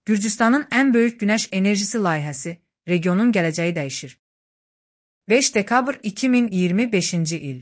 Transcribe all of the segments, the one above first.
Gürcüstanın ən böyük günəş enerjisi layihəsi, regionun gələcəyi dəyişir. 5 dekabr 2025-ci il.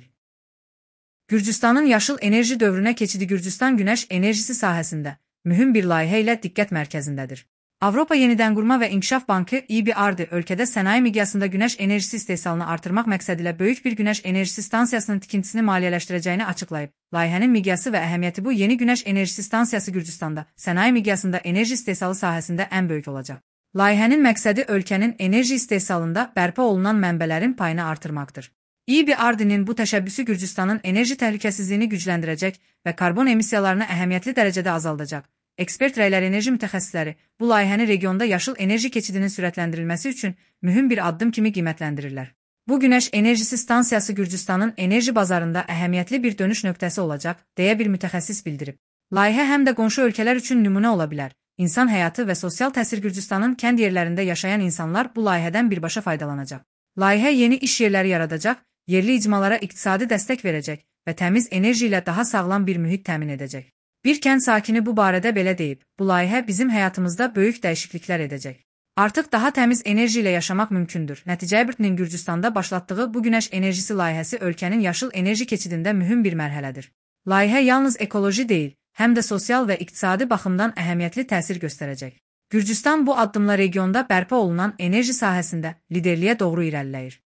Gürcüstanın yaşıl enerji dövrünə keçidi Gürcüstan günəş enerjisi sahəsində mühüm bir layihə ilə diqqət mərkəzindədir. Avropa Yenidənqurma və İnkişaf Bankı EBRD ölkədə sənaye miqyasında günəş enerjisi istehsalını artırmaq məqsədilə böyük bir günəş enerjisi stansiyasının tikintisini maliyyələşdirəcəyini açıqlayıb. Layihənin miqyası və əhəmiyyəti bu yeni günəş enerjisi stansiyası Gürcüstanda sənaye miqyasında enerji istehsalı sahəsində ən böyük olacaq. Layihənin məqsədi ölkənin enerji istehsalında bərpa olunan mənbələrin payını artırmaqdır. EBRD-nin bu təşəbbüsü Gürcüstanın enerji təhlükəsizliyini gücləndirəcək və karbon emissiyalarını əhəmiyyətli dərəcədə azaldacaq. Ekspert rəyləri enerji mütəxəssisləri bu layihəni regionda yaşıl enerji keçidinin sürətləndirilməsi üçün mühüm bir addım kimi qiymətləndirirlər. Bu günəş enerjisi stansiyası Gürcüstanın enerji bazarında əhəmiyyətli bir dönüş nöqtəsi olacaq, deyə bir mütəxəssis bildirib. Layihə həm də qonşu ölkələr üçün nümunə ola bilər. İnsan həyatı və sosial təsir Gürcüstanın kənd yerlərində yaşayan insanlar bu layihədən birbaşa faydalanacaq. Layihə yeni iş yerləri yaradacaq, yerli icmalara iqtisadi dəstək verəcək və təmiz enerji ilə daha sağlam bir mühit təmin edəcək. Bir kənd sakini bu barədə belə deyib, bu layihə bizim həyatımızda böyük dəyişikliklər edəcək. Artıq daha təmiz enerji ilə yaşamaq mümkündür. EBRD-nin Gürcüstanda başlatdığı bu günəş enerjisi layihəsi ölkənin yaşıl enerji keçidində mühüm bir mərhələdir. Layihə yalnız ekoloji deyil, həm də sosial və iqtisadi baxımdan əhəmiyyətli təsir göstərəcək. Gürcüstan bu addımla regionda bərpa olunan enerji sahəsində liderliyə doğru irəliləyir.